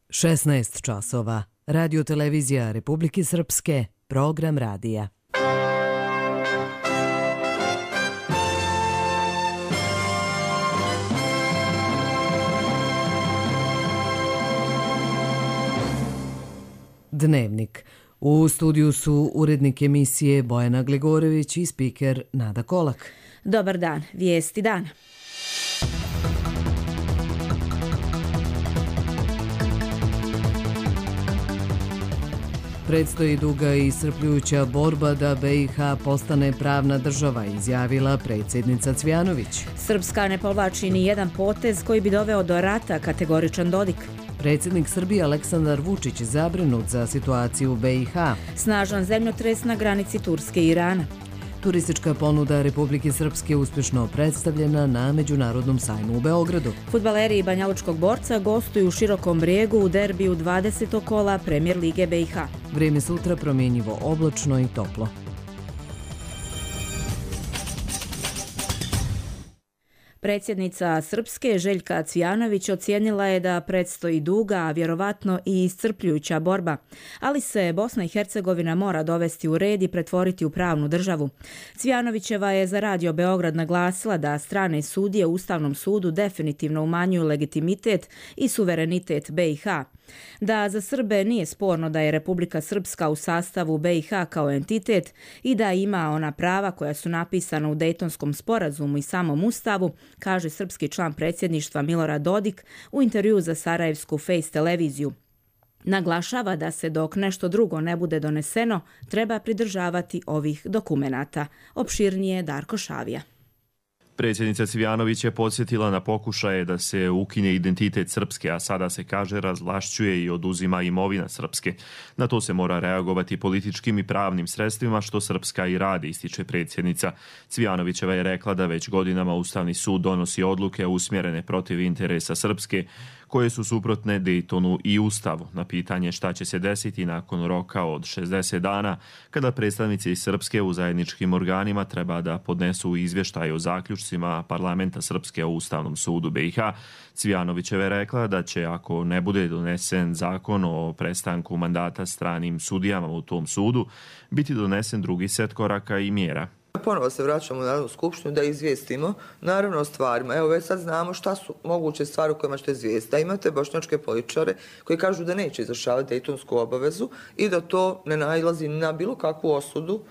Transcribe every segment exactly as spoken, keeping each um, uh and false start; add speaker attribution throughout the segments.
Speaker 1: šesnaest časova. Radio televizija Republike Srpske, program radija. Dnevnik. U studiju su urednik emisije Bojana Gligorović i spiker Nada Kolak.
Speaker 2: Dobar dan, vijesti dana.
Speaker 1: Predstoji duga i iscrpljujuća borba da B i H postane pravna država, izjavila predsjednica Cvijanović.
Speaker 2: Srpska ne povlači ni jedan potez koji bi doveo do rata, kategoričan Dodik.
Speaker 1: Predsjednik Srbije Aleksandar Vučić zabrinut za situaciju u B i H.
Speaker 2: Snažan zemljotres na granici Turske i Irana.
Speaker 1: Turistička ponuda Republike Srpske uspješno predstavljena na Međunarodnom sajmu u Beogradu.
Speaker 2: Fudbaleri Banjalučkog Borca gostuju u Širokom Brijegu u derbiju dvadesetog kola Premijer lige B i H.
Speaker 1: Vrijeme sutra promjenjivo oblačno i toplo.
Speaker 2: Predsjednica Srpske Željka Cvijanović ocijenila je da predstoji duga, a vjerovatno i iscrpljujuća borba, ali se Bosna i Hercegovina mora dovesti u red i pretvoriti u pravnu državu. Cvijanovićeva je za Radio Beograd naglasila da strane sudije u Ustavnom sudu definitivno umanjuju legitimitet i suverenitet B i H. Da za Srbe nije sporno da je Republika Srpska u sastavu B i H kao entitet i da ima ona prava koja su napisana u Dejtonskom sporazumu i samom Ustavu, kaže srpski član predsjedništva Milorad Dodik u intervjuu za Sarajevsku Face televiziju. Naglašava da se dok nešto drugo ne bude doneseno, treba pridržavati ovih dokumenata. Opširnije Darko Šavija.
Speaker 3: Predsjednica Cvijanović je podsjetila na pokušaje da se ukine identitet Srpske, a sada se kaže razvlašćuje i oduzima imovina Srpske. Na to se mora reagovati političkim i pravnim sredstvima, što Srpska i radi, ističe predsjednica. Cvijanovićeva je rekla da već godinama Ustavni sud donosi odluke usmjerene protiv interesa Srpske, koje su suprotne Dejtonu i Ustavu. Na pitanje šta će se desiti nakon roka od šezdeset dana, kada predstavnici iz Srpske u zajedničkim organima treba da podnesu izvještaj o zaključcima parlamenta Srpske o Ustavnom sudu B i H, Cvijanovićeva je rekla da će, ako ne bude donesen zakon o prestanku mandata stranim sudijama u tom sudu, biti donesen drugi set koraka i mjera.
Speaker 4: Ponovo se vraćamo u Narodnu skupštinu da izvijestimo, naravno o stvarima. Evo već sad znamo šta su moguće stvari u kojima ćete izvijestiti. Da imate bošnjačke političare koji kažu da neće izvršavati dejtonsku obavezu i da to ne nailazi na bilo kakvu osudu,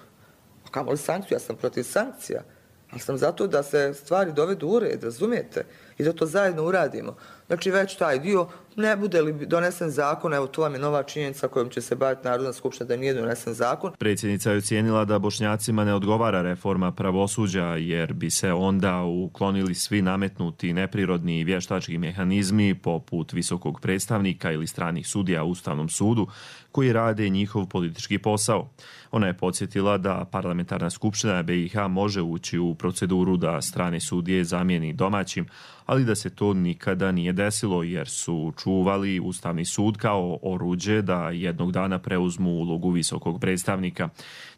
Speaker 4: a kamoli sankciju. Ja sam protiv sankcija, ali sam zato da se stvari dovedu u red, razumijete? I da to zajedno uradimo. Znači već taj dio, ne bude li donesen zakon, evo to vam je nova činjenica kojom će se baviti Narodna skupština da nije donesen zakon.
Speaker 3: Predsjednica je ocijenila da Bošnjacima ne odgovara reforma pravosuđa, jer bi se onda uklonili svi nametnuti neprirodni i vještački mehanizmi poput visokog predstavnika ili stranih sudija u Ustavnom sudu koji rade njihov politički posao. Ona je podsjetila da parlamentarna skupština B i H može ući u proceduru da strane sudije zamijeni domaćim, ali da se to nikada nije desilo jer su čuvali Ustavni sud kao oruđe da jednog dana preuzmu ulogu visokog predstavnika.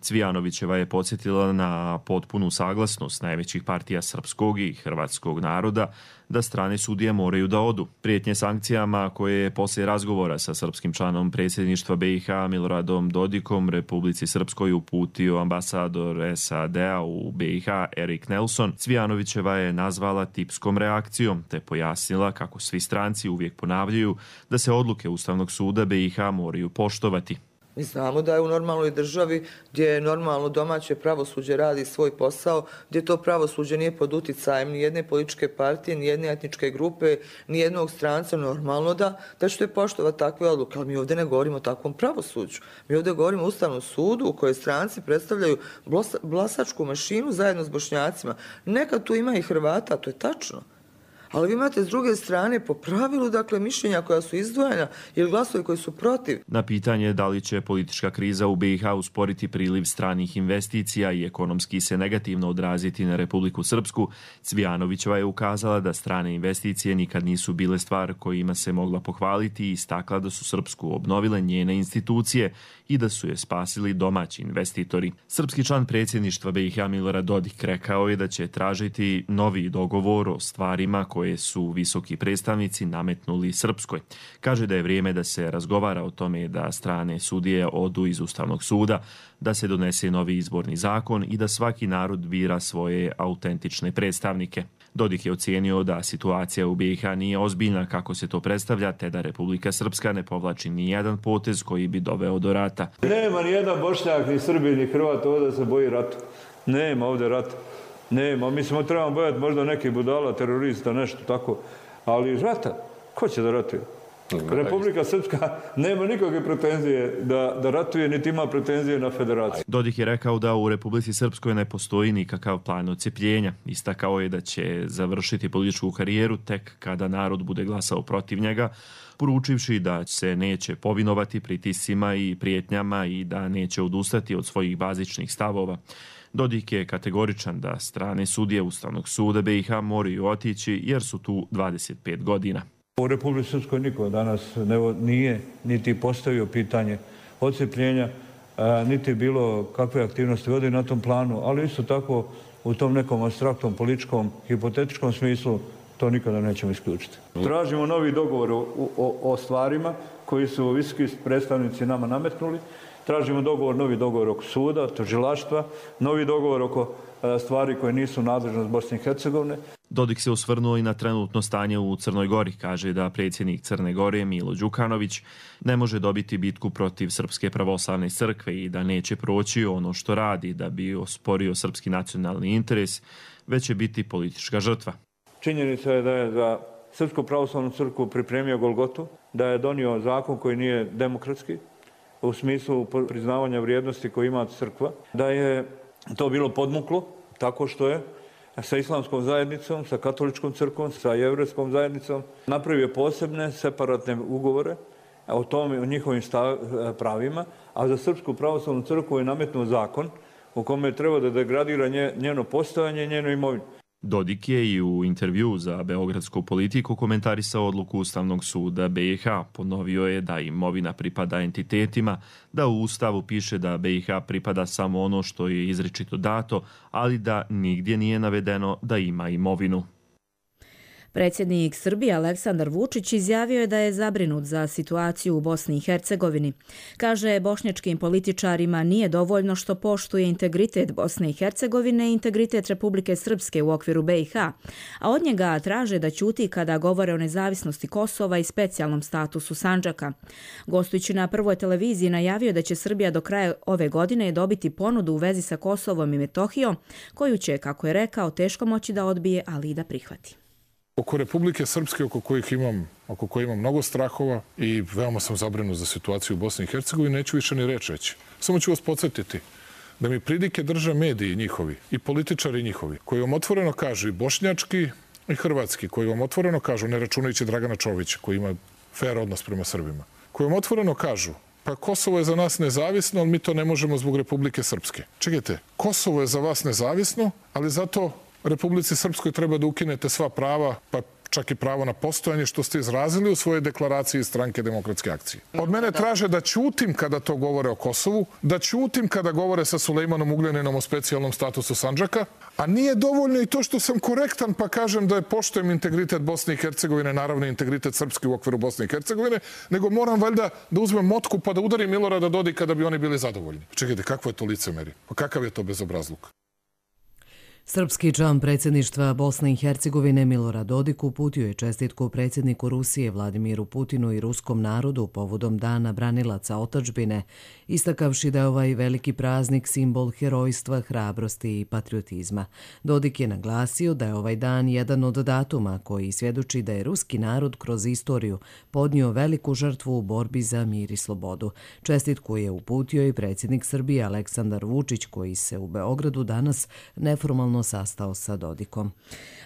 Speaker 3: Cvijanovićeva je podsjetila na potpunu saglasnost najvećih partija srpskog i hrvatskog naroda da strane sudije moraju da odu. Prijetnje sankcijama koje je poslije razgovora sa srpskim članom predsjedništva B i H Miloradom Dodikom Republici Srpskoj uputio ambasador S A D-a u B i H Erik Nelson, Cvijanovićeva je nazvala tipskom reakcijom te pojasnila kako svi stranci uvijek ponavljaju da se odluke Ustavnog suda B i H moraju poštovati.
Speaker 4: Mi znamo da je u normalnoj državi gdje normalno domaće pravosuđe radi svoj posao, gdje to pravosuđe nije pod uticajem ni jedne političke partije, ni jedne etničke grupe, ni jednog stranca, normalno da, da ćete poštovati takve odluke. Ali mi ovdje ne govorimo o takvom pravosuđu. Mi ovdje govorimo o Ustavnom sudu u kojoj stranci predstavljaju glasačku mašinu zajedno s Bošnjacima. Nekad tu ima i Hrvata, to je tačno. Ali vi imate s druge strane po pravilu, dakle, mišljenja koja su izdvojena ili glasovi koji su protiv.
Speaker 3: Na pitanje da li će politička kriza u B i H usporiti priliv stranih investicija i ekonomski se negativno odraziti na Republiku Srpsku, Cvijanovićeva je ukazala da strane investicije nikad nisu bile stvar kojima se mogla pohvaliti i istakla da su Srpsku obnovile njene institucije i da su je spasili domaći investitori. Srpski član predsjedništva B i H Milorad Dodik rekao je da će tražiti novi dogovor o stvarima koje koje su visoki predstavnici nametnuli Srpskoj. Kaže da je vrijeme da se razgovara o tome da strane sudije odu iz Ustavnog suda, da se donese novi izborni zakon i da svaki narod bira svoje autentične predstavnike. Dodik je ocijenio da situacija u B i H nije ozbiljna kako se to predstavlja, te da Republika Srpska ne povlači ni jedan potez koji bi doveo do rata.
Speaker 5: Nema ni jedan Bošnjak, ni Srbi, ni Hrvat ovdje se boji rata. Nema ovdje rata. Nema. Mi smo trebamo bojati možda neki budala, terorista, nešto tako. Ali rata, ko će da ratuje? Republika Srpska nema nikakve pretenzije da, da ratuje, niti ima pretenzije na federaciju.
Speaker 3: Dodik je rekao da u Republici Srpskoj ne postoji nikakav plan odcepljenja. Istakao je da će završiti političku karijeru tek kada narod bude glasao protiv njega, poručivši da se neće povinovati pritiscima i prijetnjama i da neće odustati od svojih bazičnih stavova. Dodik je kategoričan da strane sudije Ustavnog suda B i H moraju otići jer su tu dvadeset pet godina.
Speaker 5: U Republici Srpskoj niko danas ne, nije niti postavio pitanje odcepljenja, niti bilo kakve aktivnosti vodi na tom planu, ali isto tako u tom nekom apstraktnom, političkom, hipotetičkom smislu to nikada nećemo isključiti. Tražimo novi dogovor o, o, o stvarima koji su visoki predstavnici nama nametnuli. Tražimo dogovor, novi dogovor oko suda, tužilaštva, novi dogovor oko stvari koje nisu nadležnost Bosne i Hercegovine.
Speaker 3: Dodik se osvrnuo i na trenutno stanje u Crnoj Gori. Kaže da predsjednik Crne Gore Milo Đukanović ne može dobiti bitku protiv Srpske pravoslavne crkve i da neće proći ono što radi da bi osporio srpski nacionalni interes, već će biti politička žrtva.
Speaker 5: Činjenica je da je za Srpsku pravoslavnu crkvu pripremio Golgotu, da je donio zakon koji nije demokratski, u smislu priznavanja vrijednosti koje ima crkva, da je to bilo podmuklo tako što je sa islamskom zajednicom, sa katoličkom crkvom, sa jevrejskom zajednicom napravio posebne separatne ugovore o tome, o njihovim stav, pravima, a za Srpsku pravoslavnu crkvu je nametnuo zakon u kome treba da degradira njeno postojanje i njenu imovinu.
Speaker 3: Dodik je i u intervju za Beogradsku politiku komentarisao odluku Ustavnog suda B i H. Ponovio je da imovina pripada entitetima, da u Ustavu piše da B i H pripada samo ono što je izričito dato, ali da nigdje nije navedeno da ima imovinu.
Speaker 2: Predsjednik Srbije Aleksandar Vučić izjavio je da je zabrinut za situaciju u Bosni i Hercegovini. Kaže, bošnjačkim političarima nije dovoljno što poštuje integritet Bosne i Hercegovine i integritet Republike Srpske u okviru B i H, a od njega traže da ćuti kada govore o nezavisnosti Kosova i specijalnom statusu Sandžaka. Gostujući na Prvoj televiziji najavio da će Srbija do kraja ove godine dobiti ponudu u vezi sa Kosovom i Metohijom, koju će, kako je rekao, teško moći da odbije, ali i da prihvati.
Speaker 6: Oko Republike Srpske, oko kojih imam, oko koje imam mnogo strahova i veoma sam zabrinut za situaciju u Bosni i Hercegovini, neću više ni reći reći. Samo ću vas podsjetiti da mi pridike drže mediji njihovi i političari njihovi, koji vam otvoreno kažu i bošnjački i hrvatski, koji vam otvoreno kažu, ne računajući Dragana Čovića, koji ima fair odnos prema Srbima, koji vam otvoreno kažu, pa Kosovo je za nas nezavisno, ali mi to ne možemo zbog Republike Srpske. Čekajte, Kosovo je za vas nezavisno, ali zato Republici Srpskoj treba da ukinete sva prava, pa čak i pravo na postojanje, što ste izrazili u svojoj deklaraciji Stranke demokratske akcije. Od mene traže da ćutim kada to govore o Kosovu, da ćutim kada govore sa Sulejmanom Ugljaninom o specijalnom statusu Sandžaka, a nije dovoljno i to što sam korektan pa kažem da je poštujem integritet Bosne i Hercegovine, naravno integritet Srpske u okviru Bosne i Hercegovine, nego moram valjda da uzmem motku pa da udarim Milorada Dodika da bi oni bili zadovoljni. Čekajte, kakvo je to licemeri? Pa kakav je to bezobrazluk?
Speaker 1: Srpski član predsjedništva Bosne i Hercegovine Milorad Dodik uputio je čestitku predsjedniku Rusije Vladimiru Putinu i ruskom narodu povodom Dana branilaca otadžbine, istakavši da je ovaj veliki praznik simbol herojstva, hrabrosti i patriotizma. Dodik je naglasio da je ovaj dan jedan od datuma koji svjedoči da je ruski narod kroz istoriju podnio veliku žrtvu u borbi za mir i slobodu. Čestitku je uputio i predsjednik Srbije Aleksandar Vučić, koji se u Beogradu danas neformalno sastao sa Dodikom.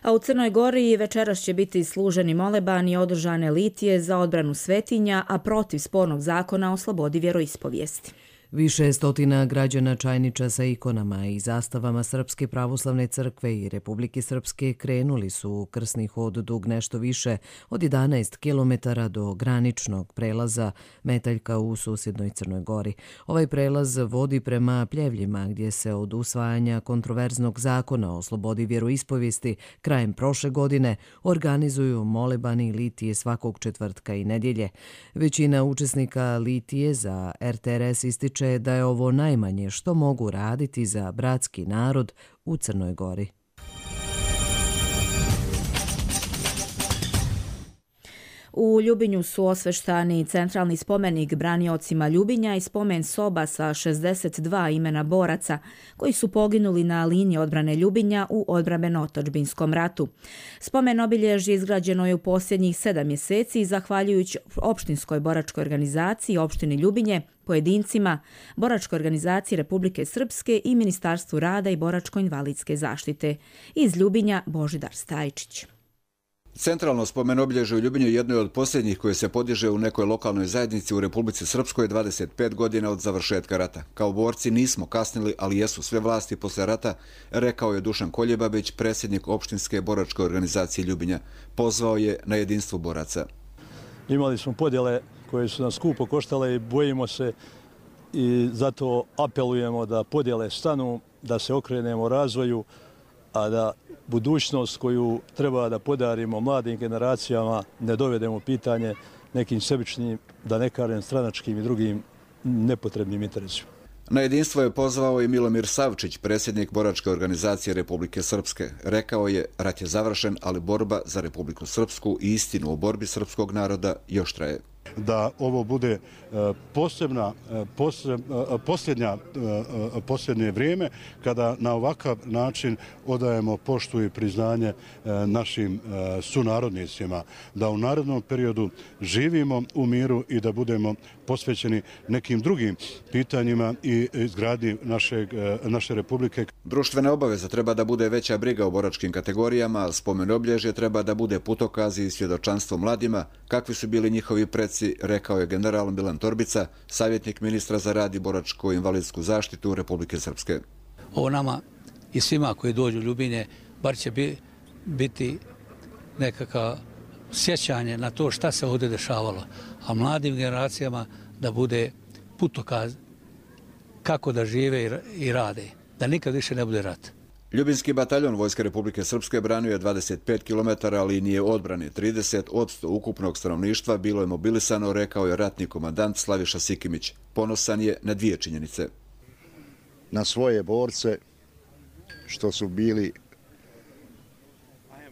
Speaker 2: A u Crnoj Gori večeras će biti služeni moleban i održane litije za odbranu svetinja, a protiv spornog zakona o slobodi vjeroispovijesti.
Speaker 1: Više stotina građana Čajniča sa ikonama i zastavama Srpske pravoslavne crkve i Republike Srpske krenuli su u krsni hod dug nešto više od jedanaest kilometara do graničnog prelaza Metaljka u susjednoj Crnoj Gori. Ovaj prelaz vodi prema Pljevljima, gdje se od usvajanja kontroverznog zakona o slobodi vjeroispovijesti krajem prošle godine organizuju molebani litije svakog četvrtka i nedjelje. Većina učesnika litije za R T R S ističe da je ovo najmanje što mogu raditi za bratski narod u Crnoj Gori.
Speaker 2: U Ljubinju su osveštani centralni spomenik braniocima Ljubinja i spomen soba sa šezdeset dva imena boraca koji su poginuli na liniji odbrane Ljubinja u odbrambeno-otadžbinskom ratu. Spomen obilježje izgrađeno je u posljednjih sedam mjeseci zahvaljujući opštinskoj boračkoj organizaciji opštini Ljubinje, pojedincima, boračkoj organizaciji Republike Srpske i Ministarstvu rada i boračko-invalidske zaštite. Iz Ljubinja Božidar Stajčić.
Speaker 7: Centralno spomen obilježje u Ljubinju jedno je od posljednjih koje se podiže u nekoj lokalnoj zajednici u Republici Srpskoj dvadeset pet godina od završetka rata. Kao borci nismo kasnili, ali jesu sve vlasti posle rata, rekao je Dušan Koljebabić, predsjednik opštinske boračke organizacije Ljubinja. Pozvao je na jedinstvo boraca.
Speaker 8: Imali smo podjele koje su nas skupo koštale i bojimo se i zato apelujemo da podjele stanu, da se okrenemo razvoju, a da budućnost koju treba da podarimo mladim generacijama ne dovedemo pitanje nekim sebičnim, da ne kažem stranačkim i drugim nepotrebnim interesima.
Speaker 7: Na jedinstvo je pozvao i Milomir Savčić, predsjednik boračke organizacije Republike Srpske. Rekao je, rat je završen, ali borba za Republiku Srpsku i istinu o borbi srpskog naroda još traje.
Speaker 9: Da ovo bude posebna, posljednja, posljednje vrijeme kada na ovakav način odajemo poštu i priznanje našim sunarodnicima, da u narednom periodu živimo u miru i da budemo posvećeni nekim drugim pitanjima i izgradnji našeg, naše republike.
Speaker 7: Društvena obaveza treba da bude veća briga o boračkim kategorijama, spomen obilježje treba da bude putokaz i svjedočanstvo mladima, kakvi su bili njihovi preci, rekao je general Milan Torbica, savjetnik ministra za rad i boračko-invalidsku zaštitu Republike Srpske.
Speaker 10: Ovo nama i svima koji dođu u Ljubinje bar će biti nekakav sjećanje na to šta se ovdje dešavalo, a mladim generacijama da bude putokaz kako da žive i rade, da nikad više ne bude rat.
Speaker 7: Ljubinski bataljon Vojske Republike Srpske branio je dvadeset pet kilometara linije odbrane. trideset posto ukupnog stanovništva bilo je mobilisano, rekao je ratni komandant Slaviša Sikimić. Ponosan je na dvije činjenice.
Speaker 11: Na svoje borce, što su bili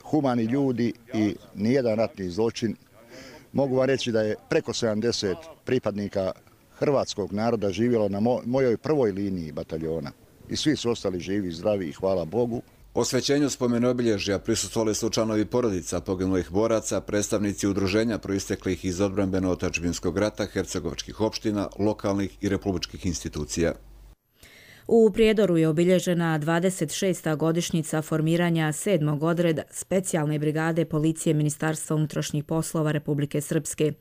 Speaker 11: humani ljudi i nijedan ratni zločin. Mogu vam reći da je preko sedamdeset pripadnika hrvatskog naroda živjelo na mojoj prvoj liniji bataljona. I svi su ostali živi i zdravi i hvala Bogu.
Speaker 7: Osvećenju spomen obilježja prisustvovali su članovi porodica poginulih boraca, predstavnici udruženja proisteklih iz odbrambeno-otadžbinskog rata, hercegovačkih opština, lokalnih i republičkih institucija.
Speaker 2: U Prijedoru je obilježena dvadeset šesta godišnjica formiranja sedmog odreda specijalne brigade policije Ministarstva unutrašnjih poslova Republike Srpske.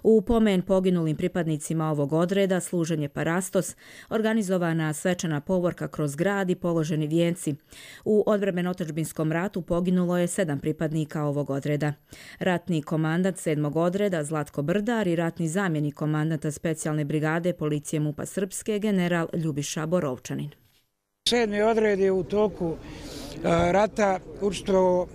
Speaker 2: U pomen poginulim pripadnicima ovog odreda služen je parastos, organizovana svečana povorka kroz grad i položeni vijenci. U odbrambeno-otadžbinskom ratu poginulo je sedam pripadnika ovog odreda. Ratni komandant sedmog odreda Zlatko Brdar i ratni zamjenik komandanta specijalne brigade policije MUP-a Srpske general Ljubiša Borov.
Speaker 12: Sedmi odred je u toku rata učestvovao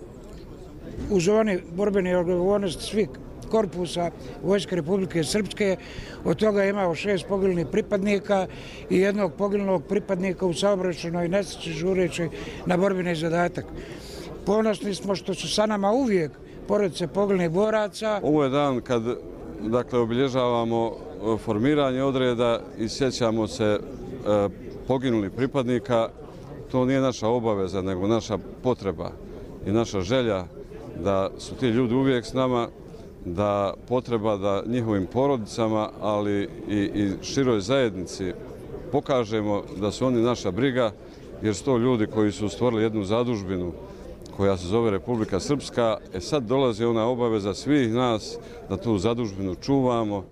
Speaker 12: u zoni borbene odgovornosti svih korpusa Vojske Republike Srpske. Od toga je imao šest poginulih pripadnika i jednog poginulog pripadnika u saobraćajnoj nesreći žureći na borbeni zadatak. Ponosni smo što su sa nama uvijek porodice poginulih boraca.
Speaker 13: Ovo je dan kad dakle, obilježavamo formiranje odreda i sjećamo se poginulih pripadnika. To nije naša obaveza, nego naša potreba i naša želja da su ti ljudi uvijek s nama, da potreba da njihovim porodicama, ali i, i široj zajednici pokažemo da su oni naša briga, jer su to ljudi koji su stvorili jednu zadužbinu koja se zove Republika Srpska. E sad dolazi ona obaveza svih nas da tu zadužbinu čuvamo.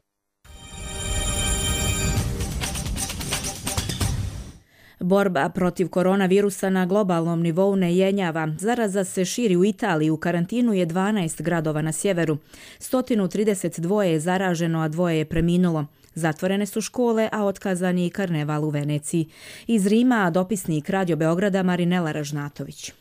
Speaker 2: Borba protiv koronavirusa na globalnom nivou ne jenjava. Zaraza se širi u Italiji, u karantinu je dvanaest gradova na sjeveru. sto trideset dva je zaraženo, a dvoje je preminulo. Zatvorene su škole, a otkazan je i karneval u Veneciji. Iz Rima dopisnik Radio Beograda Marinela Ražnatović.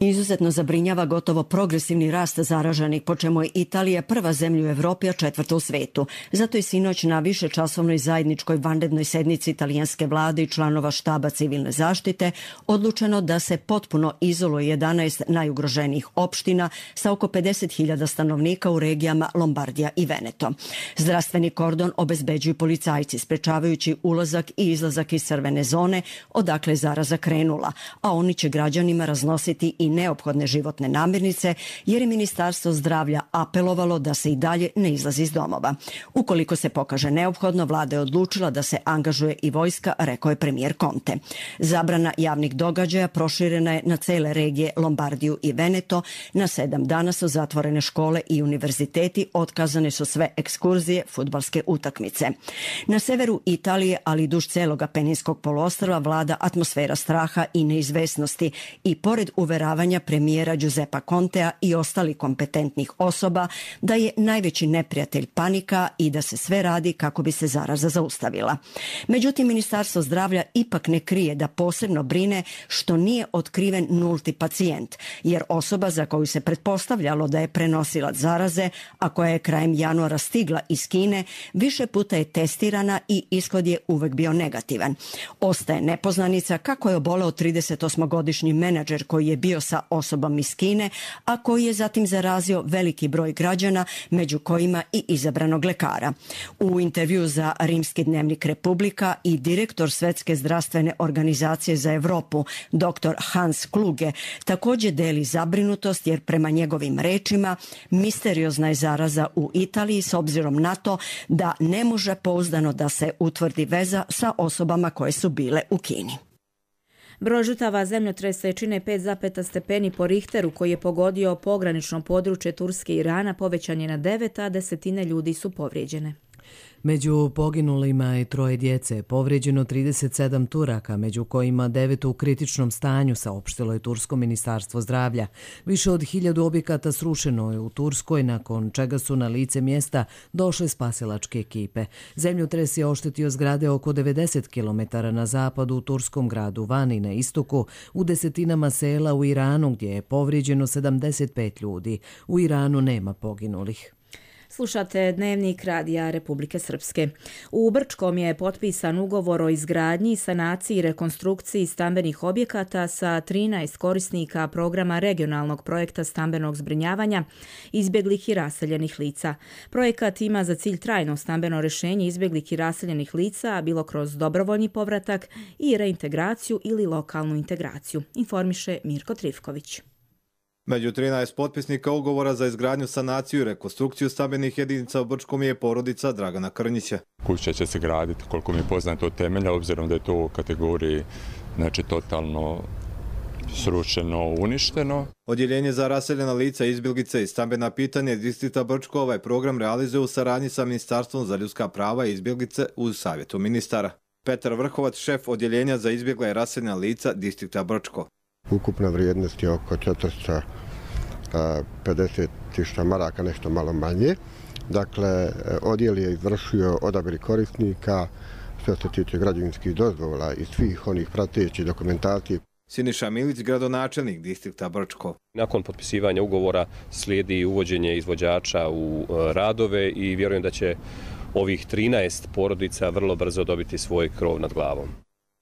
Speaker 14: Izuzetno zabrinjava gotovo progresivni rast zaraženih, po čemu je Italija prva zemlja u Evropi, a četvrta u svetu. Zato je sinoć na višečasovnoj zajedničkoj vanrednoj sednici italijanske vlade i članova štaba civilne zaštite odlučeno da se potpuno izoluje jedanaest najugroženijih opština sa oko pedeset hiljada stanovnika u regijama Lombardija i Veneto. Zdravstveni kordon obezbeđuju policajci, sprečavajući ulazak i izlazak iz crvene zone, odakle je zaraza krenula, a oni će građanima raznositi i neophodne životne namirnice, jer je Ministarstvo zdravlja apelovalo da se i dalje ne izlazi iz domova. Ukoliko se pokaže neophodno, vlada je odlučila da se angažuje i vojska, rekao je premijer Conte. Zabrana javnih događaja proširena je na cele regije Lombardiju i Veneto. Na sedam dana su zatvorene škole i univerziteti, otkazane su sve ekskurzije, fudbalske utakmice. Na severu Italije, ali i duž celog Apeninskog poluostrva, vlada atmosfera straha i neizvesnosti i pored uveravanja premijera Giuseppa Contea i ostalih kompetentnih osoba da je najveći neprijatelj panika i da se sve radi kako bi se zaraza zaustavila. Međutim, Ministarstvo zdravlja ipak ne krije da posebno brine što nije otkriven nulti pacijent, jer osoba za koju se pretpostavljalo da je prenosilac zaraze, a koja je krajem januara stigla iz Kine, više puta je testirana i ishod je uvek bio negativan. Ostaje nepoznanica kako je oboleo tridesetosmogodišnji menadžer koji je bio sa osobom iz Kine, a koji je zatim zarazio veliki broj građana, među kojima i izabranog lekara. U intervju za rimski dnevnik Republika i direktor Svetske zdravstvene organizacije za Evropu, doktor Hans Kluge, također deli zabrinutost jer prema njegovim rečima misteriozna je zaraza u Italiji s obzirom na to da ne može pouzdano da se utvrdi veza sa osobama koje su bile u Kini.
Speaker 2: Broj žrtava zemljotresa čine pet zarez pet stepeni po Richteru koji je pogodio pogranično područje Turske i Irana, povećan je na devet, a desetine ljudi su povrijeđene.
Speaker 1: Među poginulima je troje djece, povrijeđeno trideset sedam Turaka, među kojima devet u kritičnom stanju, saopštilo je Tursko ministarstvo zdravlja. Više od hiljadu objekata srušeno je u Turskoj, nakon čega su na lice mjesta došle spasilačke ekipe. Zemljotres je oštetio zgrade oko devedeset kilometara na zapadu u turskom gradu Vani, na istoku, u desetinama sela u Iranu gdje je povrijeđeno sedamdeset pet ljudi. U Iranu nema poginulih.
Speaker 2: Slušate Dnevnik Radija Republike Srpske. U Brčkom je potpisan ugovor o izgradnji, sanaciji i rekonstrukciji stambenih objekata sa trinaest korisnika programa regionalnog projekta stambenog zbrinjavanja izbjeglih i raseljenih lica. Projekat ima za cilj trajno stambeno rješenje izbjeglih i raseljenih lica, bilo kroz dobrovoljni povratak i reintegraciju ili lokalnu integraciju, informiše Mirko Trifković.
Speaker 15: Među trinaest potpisnika ugovora za izgradnju, sanaciju i rekonstrukciju stambenih jedinica u Brčkom je porodica Dragana Krnjića.
Speaker 16: Kuća će se graditi, koliko mi je poznato, od temelja, obzirom da je to u kategoriji znači, totalno srušeno, uništeno.
Speaker 15: Odjeljenje za raseljena lica, izbjeglice i stambena pitanja distrikta Brčko ovaj program realizuje u saradnji sa Ministarstvom za ljudska prava i izbjeglice uz savjetu ministara. Petar Vrhovac, šef odjeljenja za izbjegla i raseljena lica distrikta Brčko.
Speaker 17: Ukupna vrijednost je oko četiristo pedeset tisuća maraka, nešto malo manje. Dakle, odjel je izvršio odabir korisnika što se tiče građevinskih dozvola i svih onih pratećih dokumentacije.
Speaker 15: Siniša Milić, gradonačelnik distrikta Brčko.
Speaker 18: Nakon potpisivanja ugovora slijedi uvođenje izvođača u radove i vjerujem da će ovih trinaest porodica vrlo brzo dobiti svoj krov nad glavom.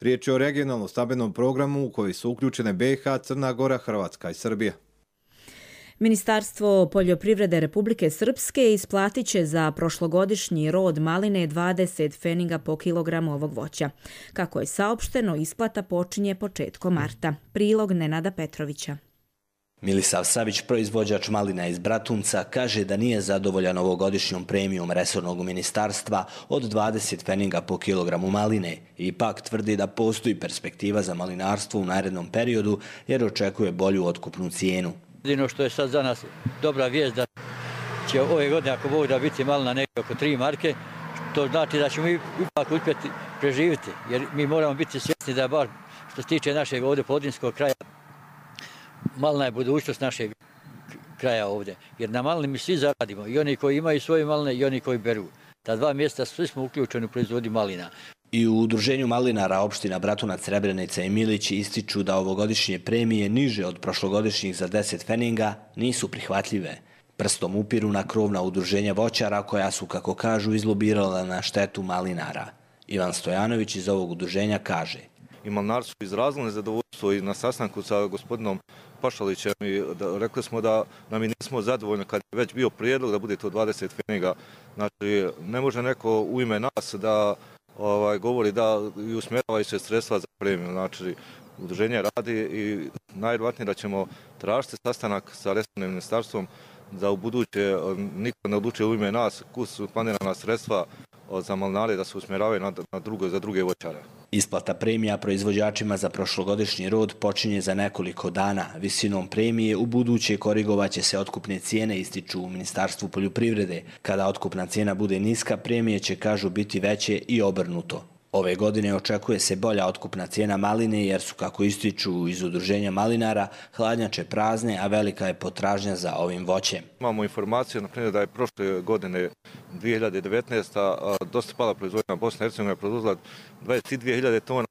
Speaker 15: Riječ je o regionalnom stambenom programu u koji su uključene B i H, Crna Gora, Hrvatska i Srbija.
Speaker 2: Ministarstvo poljoprivrede Republike Srpske isplatit će za prošlogodišnji rod maline dvadeset pfeniga po kilogramu ovog voća. Kako je saopšteno, isplata počinje početkom marta. Prilog Nenada Petrovića.
Speaker 19: Milisav Savić, proizvođač malina iz Bratunca, kaže da nije zadovoljan ovogodišnjom premijom resornog ministarstva od dvadeset pfeniga po kilogramu maline. Ipak tvrdi da postoji perspektiva za malinarstvo u narednom periodu jer očekuje bolju otkupnu cijenu.
Speaker 20: Jedino što je sad za nas dobra vijest da će ove godine, ako Bog da, biti malina negdje oko tri marke, to znači da ćemo ipak uspjeti preživjeti, jer mi moramo biti svjesni da bar što se tiče našeg ovdje podrinskog kraja, malina je budućnost našeg kraja ovdje, jer na malini mi svi zaradimo, i oni koji imaju svoje maline i oni koji beru. Ta dva mjesta svi smo uključeni u proizvodnji malina.
Speaker 19: I u udruženju malinara opština Bratunac, Srebrenica i Milić ističu da ovogodišnje premije niže od prošlogodišnjih za deset feninga nisu prihvatljive. Prstom upiru na krovna udruženja voćara koja su, kako kažu, izlobirala na štetu malinara. Ivan Stojanović iz ovog udruženja kaže:
Speaker 21: I malinari su izrazili nezadovoljstvo i na sastanku sa gospodinom Pašalićem i da, rekli smo da nam i nismo zadovoljni kad je već bio prijedlog da bude to dvadeset feninga. Znači, ne može neko u ime nas da ovaj, govori da i usmjeravaju se sredstva za premiju. Znači, udruženje radi i najvjerojatnije da ćemo tražiti sastanak sa resornim ministarstvom da u buduće niko ne odlučuje u ime nas kus su planirana sredstva za malinare da se usmjeravaju na, na drugo, za druge voćare.
Speaker 19: Isplata premija proizvođačima za prošlogodišnji rod počinje za nekoliko dana. Visinom premije u buduće korigovaće se otkupne cijene, ističu u Ministarstvu poljoprivrede. Kada otkupna cijena bude niska, premije će, kažu, biti veće i obrnuto. Ove godine očekuje se bolja otkupna cijena maline jer su, kako ističu iz udruženja malinara, hladnjače prazne, a velika je potražnja za ovim voćem.
Speaker 21: Imamo informaciju, na primjer, da je prošle godine dvije hiljade devetnaeste. dosta pala proizvodnja. Bosna i Hercegovina je produzila dvadeset dvije hiljade tona,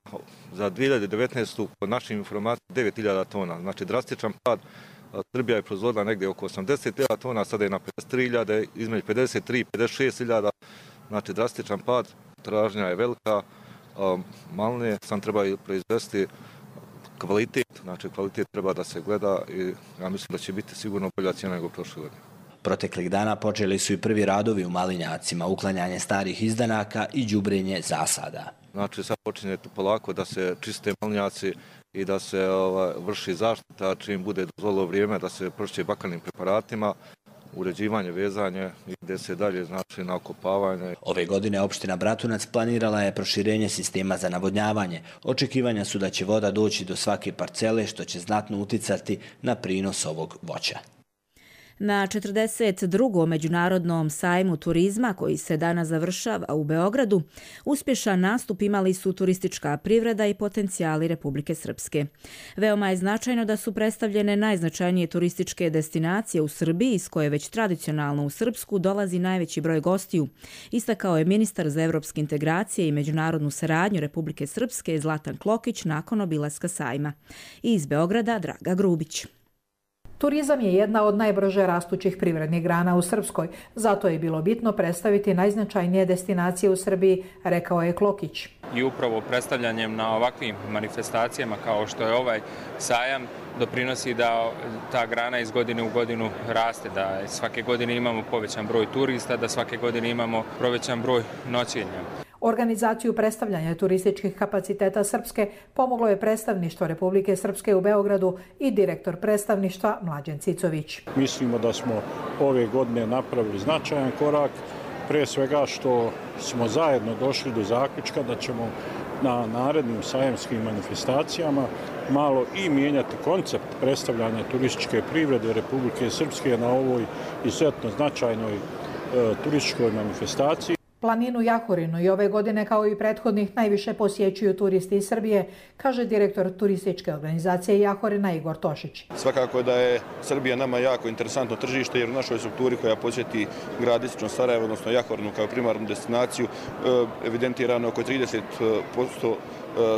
Speaker 21: za dvije hiljade devetnaestu. po našim informacijama devet hiljada tona. Znači drastičan pad. Srbija je proizvodila negdje oko osamdeset hiljada tona, sada je na pedeset tri hiljade, između pedeset tri i pedeset šest hiljada. Znači drastičan pad. Tražnja je velika, maline sam treba proizvesti kvalitet, znači kvalitet treba da se gleda i ja mislim da će biti sigurno bolja cijena nego prošle godine.
Speaker 19: Proteklih dana počeli su i prvi radovi u malinjacima, uklanjanje starih izdanaka i đubrenje zasada.
Speaker 21: Znači sad počinje tu polako da se čiste malinjaci i da se ovaj, vrši zaštita čim bude dozvolilo vrijeme da se prošće bakarnim preparatima, uređivanje, vezanje i gdje se dalje znači na okopavanje.
Speaker 19: Ove godine opština Bratunac planirala je proširenje sistema za navodnjavanje. Očekivanja su da će voda doći do svake parcele, što će znatno uticati na prinos ovog voća.
Speaker 2: Na četrdeset drugom međunarodnom sajmu turizma, koji se danas završava u Beogradu, uspješan nastup imali su turistička privreda i potencijali Republike Srpske. Veoma je značajno da su predstavljene najznačajnije turističke destinacije u Srbiji, iz koje već tradicionalno u Srpsku dolazi najveći broj gostiju, istakao je ministar za evropske integracije i međunarodnu saradnju Republike Srpske Zlatan Klokić nakon obilaska sajma. I iz Beograda Draga Grubić.
Speaker 22: Turizam je jedna od najbrže rastućih privrednih grana u Srpskoj, zato je bilo bitno predstaviti najznačajnije destinacije u Srbiji, rekao je Klokić.
Speaker 23: I upravo predstavljanjem na ovakvim manifestacijama kao što je ovaj sajam doprinosi da ta grana iz godine u godinu raste, da svake godine imamo povećan broj turista, da svake godine imamo povećan broj noćenja.
Speaker 22: Organizaciju predstavljanja turističkih kapaciteta Srpske pomoglo je predstavništvo Republike Srpske u Beogradu i direktor predstavništva Mlađan Cicović.
Speaker 24: Mislimo da smo ove godine napravili značajan korak, pre svega što smo zajedno došli do zaključka da ćemo na narednim sajamskim manifestacijama malo i mijenjati koncept predstavljanja turističke privrede Republike Srpske na ovoj izuzetno značajnoj e, turističkoj manifestaciji.
Speaker 22: Planinu Jahorinu i ove godine kao i prethodnih najviše posjećuju turisti iz Srbije, kaže direktor turističke organizacije Jahorina Igor Tošić.
Speaker 25: Svakako da je Srbija nama jako interesantno tržište jer u našoj strukturi koja posjeti grad istočno Sarajevo, odnosno Jahorinu kao primarnu destinaciju, evidentirano oko trideset posto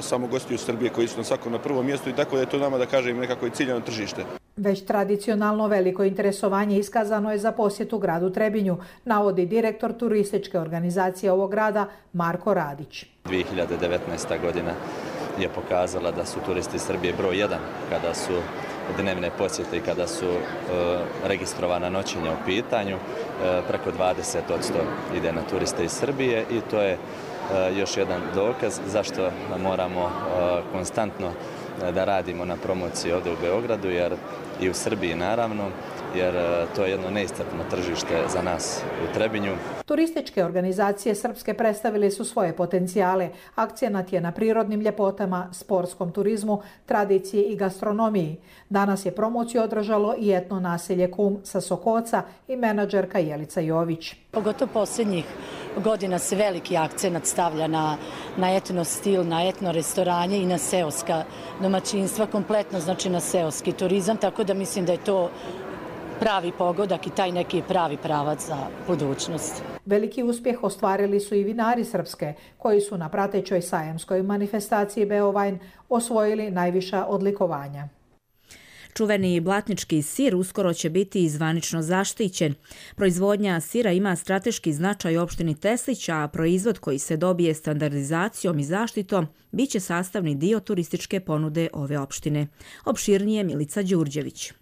Speaker 25: samo gostiju Srbije koji su na svakom na prvom mjestu i tako da je to nama da kažem nekako i ciljano tržište.
Speaker 22: Već tradicionalno veliko interesovanje iskazano je za posjetu gradu Trebinju, navodi direktor turističke organizacije ovog grada Marko Radić.
Speaker 26: dvije hiljade devetnaesta. godina je pokazala da su turisti Srbije broj jedan kada su dnevne posjete i kada su e, registrovana noćenja u pitanju. E, preko dvadeset posto ide na turiste iz Srbije i to je e, još jedan dokaz zašto moramo e, konstantno da radimo na promociji ovdje u Beogradu jer i u Srbiji naravno, jer to je jedno neiscrpno tržište za nas u Trebinju.
Speaker 22: Turističke organizacije Srpske predstavili su svoje potencijale. Akcenat je na prirodnim ljepotama, sportskom turizmu, tradiciji i gastronomiji. Danas je promociju održalo i etno naselje Kum sa Sokoca i menadžerka Jelica Jović.
Speaker 27: Pogotovo posljednjih
Speaker 3: godina se veliki akcenat stavlja na, na etno stil, na etno restoranje i na seoska domaćinstva, kompletno znači na seoski turizam, tako da mislim da je to pravi pogodak i taj neki pravi pravac za budućnost.
Speaker 22: Veliki uspjeh ostvarili su i vinari Srpske, koji su na pratećoj sajamskoj manifestaciji Beovajn osvojili najviša odlikovanja.
Speaker 2: Čuveni blatnički sir uskoro će biti zvanično zaštićen. Proizvodnja sira ima strateški značaj u opštini Teslić, a proizvod koji se dobije standardizacijom i zaštitom bit će sastavni dio turističke ponude ove opštine. Opširnije Milica Đurđević.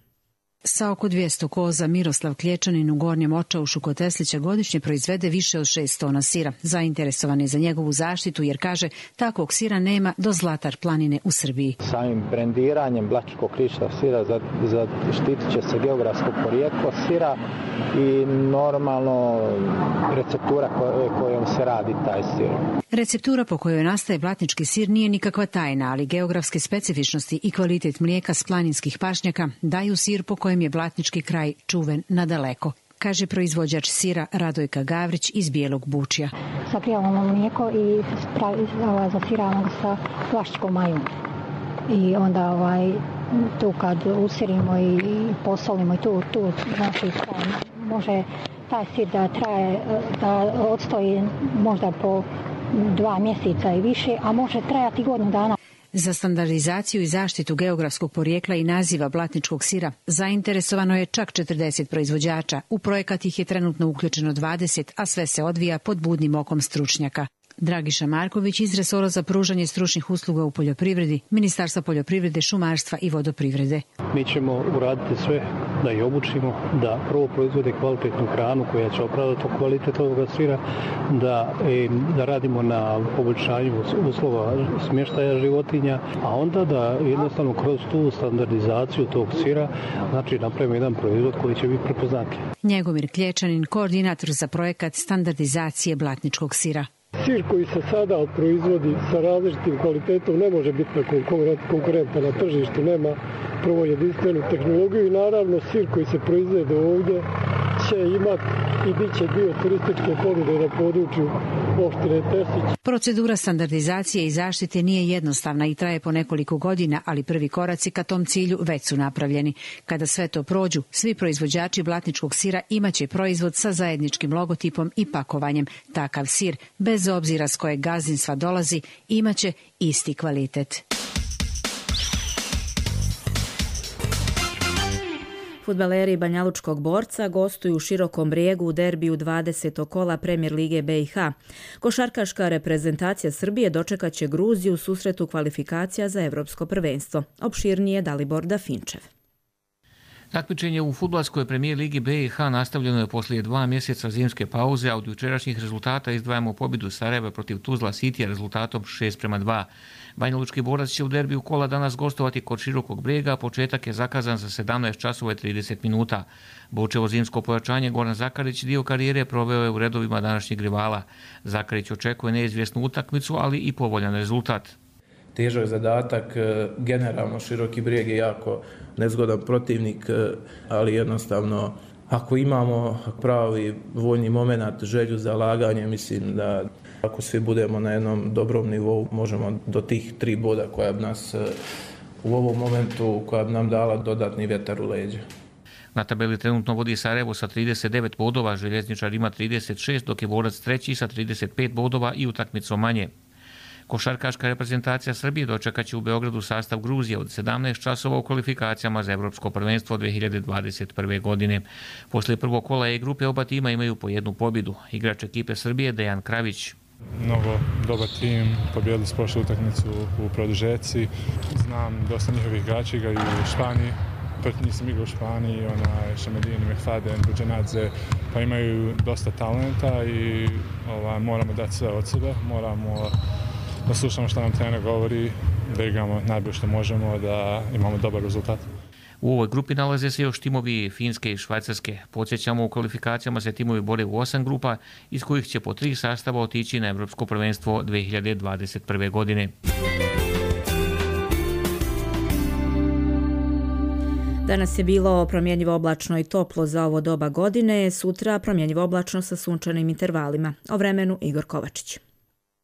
Speaker 4: Sa oko dvjesto koza Miroslav Klječanin u Gornjem Očaušu kod Teslića godišnje proizvede više od šest tona sira. Zainteresovan je za njegovu zaštitu jer kaže takvog sira nema do Zlatar planine u Srbiji.
Speaker 5: Samim brendiranjem Blačkog kriša sira zaštitit će se geografsko porijeklo sira i normalno receptura kojom se radi taj sir.
Speaker 4: Receptura po kojoj nastaje blatnički sir nije nikakva tajna, ali geografske specifičnosti i kvalitet mlijeka s planinskih pašnjaka daju sir po kojem je blatnički kraj čuven nadaleko, kaže proizvođač sira Radojka Gavrić iz Bijelog Bučja.
Speaker 6: Sakrijavamo mlijeko i zasiravamo ga sa plaščkom majom. I onda ovaj, tu kad usirimo i posolimo i tu, tu znači, može taj sir da traje, da odstoji možda po dva mjeseca i više, a može trajati godinu dana.
Speaker 4: Za standardizaciju i zaštitu geografskog porijekla i naziva blatničkog sira zainteresovano je čak četrdeset proizvođača. U projekat ih je trenutno uključeno dvadeset, a sve se odvija pod budnim okom stručnjaka. Dragiša Marković iz resora za pružanje stručnih usluga u poljoprivredi, Ministarstva poljoprivrede, šumarstva i vodoprivrede.
Speaker 24: Mi ćemo uraditi sve da ih obučimo, da prvo proizvode kvalitetnu hranu koja će opravdati kvalitet ovoga sira, da, da radimo na poboljšanju uslova smještaja životinja, a onda da jednostavno kroz tu standardizaciju tog sira znači napravimo jedan proizvod koji će biti prepoznatljiv.
Speaker 4: Njegomir Klječanin, koordinator za projekat standardizacije blatničkog sira.
Speaker 8: Sir koji se sada proizvodi sa različitim kvalitetom ne može biti konkurentan na tržištu, nema prvo jedinstvenu tehnologiju i naravno sir koji se proizvede ovdje će imati i bit će dio turističke ponude na području opštine Teslić.
Speaker 4: Procedura standardizacije i zaštite nije jednostavna i traje po nekoliko godina, ali prvi koraci ka tom cilju već su napravljeni. Kada sve to prođu, svi proizvođači blatničkog sira imaće proizvod sa zajedničkim logotipom i pakovanjem. Takav sir, bez obzira s kojeg gazdinstva dolazi, imaće isti kvalitet.
Speaker 2: Fudbaleri Banjalučkog Borca gostuju u Širokom Brijegu u derbiju dvadesetog kola Premijer lige B i H. Košarkaška reprezentacija Srbije dočekat će Gruziju u susretu kvalifikacija za Evropsko prvenstvo. Opširnije Dalibor Dafinčev.
Speaker 9: Takmičenje u fudbalskoj premijer ligi B i H nastavljeno je poslije dva mjeseca zimske pauze, a od jučerašnjih rezultata izdvajamo pobjedu Sarajeva protiv Tuzla Citya rezultatom šest prema dva. Banjalučki Borac će u derbiju kola danas gostovati kod Širokog Brijega, a početak je zakazan za sedamnaest časova i trideset minuta. Bočevo zimsko pojačanje Goran Zakarić dio karijere proveo je u redovima današnjeg rivala. Zakarić očekuje neizvjesnu utakmicu, ali i povoljan rezultat.
Speaker 27: Težak zadatak, generalno Široki Brijeg je jako nezgodan protivnik, ali jednostavno ako imamo pravi voljni moment, želju za laganje, mislim da ako svi budemo na jednom dobrom nivou, možemo do tih tri boda koja bi nas u ovom momentu, koja bi nam dala dodatni vjetar u leđa.
Speaker 9: Na tabeli trenutno vodi Sarajevo sa trideset devet bodova, Željezničar ima trideset šest, dok je Borac treći sa trideset pet bodova i utakmicom manje. Košarkaška reprezentacija Srbije dočekat će u Beogradu sastav Gruzije od sedamnaest časova u kvalifikacijama za Evropsko prvenstvo dvije hiljade dvadeset prve. godine. Poslije prvog kola E grupe oba tima imaju po jednu pobjedu. Igrač ekipe Srbije Dejan Kravić.
Speaker 28: Mnogo dobar tim, pobjedili su prošlu utakmicu u produžeci. Znam dosta njihovih igrača igraju u Španiji. Prvi nisam igrao u Španiji, onaj Šamedini, Mehfaden, Buđenadze, pa imaju dosta talenta i ovaj, moramo dati sve od sebe, moramo da slušamo što nam trener govori, da igramo najbolje što možemo, da imamo dobar rezultat.
Speaker 9: U ovoj grupi nalaze se još timovi Finske i Švajcarske. Podsjećamo, u kvalifikacijama se timovi bore u osam grupa, iz kojih će po tri sastava otići na Evropsko prvenstvo dvije hiljade dvadeset prve. godine.
Speaker 2: Danas je bilo promjenjivo oblačno i toplo za ovo doba godine, sutra promjenjivo oblačno sa sunčanim intervalima. O vremenu Igor Kovačić.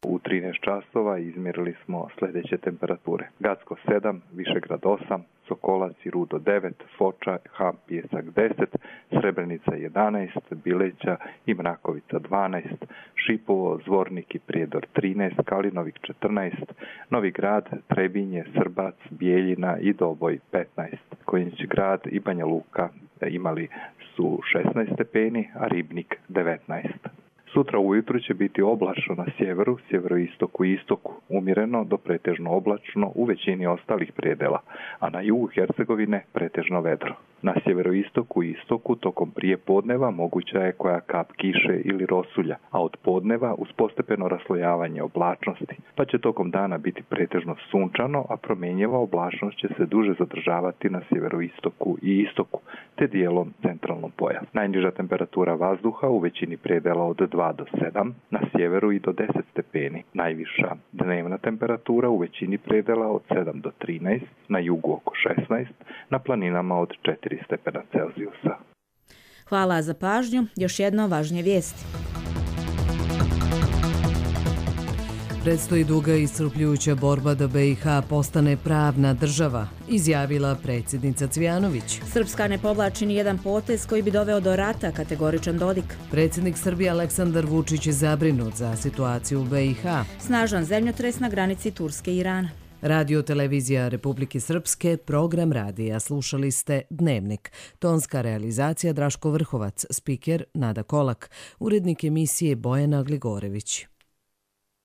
Speaker 1: U trinaest časova izmjerili smo sljedeće temperature. Gacko sedam, Višegrad osam, Sokolac i Rudo devet, Foča, Ham, Pijesak deset, Srebrenica jedanaest, Bileća i Mrakovica dvanaest, Šipovo, Zvornik i Prijedor trinaest, Kalinovik četrnaest, Novi Grad, Trebinje, Srbac, Bijeljina i Doboj petnaest. Konjić Grad i Banja Luka imali su šesnaest stepeni, a Ribnik devetnaest. Sutra ujutru će biti oblačno na sjeveru, sjeveroistoku i istoku, umjereno do pretežno oblačno u većini ostalih predela, a na jugu Hercegovine pretežno vedro. Na sjeveroistoku i istoku tokom prije podneva moguća je koja kap kiše ili rosulja, a od podneva uz postepeno raslojavanje oblačnosti, pa će tokom dana biti pretežno sunčano, a promjenjiva oblačnost će se duže zadržavati na sjeveroistoku i istoku, te dijelom centralnom pojasa. Najniža temperatura vazduha u većini predela od dva do sedam, na sjeveru i do deset stepeni. Najviša dnevna temperatura u većini predela od sedam do trinaest, na jugu oko šesnaest, na planinama od četiri stepena Celzijusa.
Speaker 2: Hvala za pažnju. Još jedno važnije vijesti.
Speaker 7: Predstoji duga i iscrpljujuća borba da B i H postane pravna država, izjavila predsjednica Cvijanović.
Speaker 2: Srpska ne povlači ni jedan potez koji bi doveo do rata, kategoričan Dodik.
Speaker 7: Predsjednik Srbije Aleksandar Vučić je zabrinut za situaciju u B i H.
Speaker 2: Snažan zemljotres na granici Turske i Irana.
Speaker 7: Radio televizija Republike Srpske, program radija. Slušali ste Dnevnik. Tonska realizacija Draško Vrhovac, spiker Nada Kolak, urednik emisije Bojana Gligorević.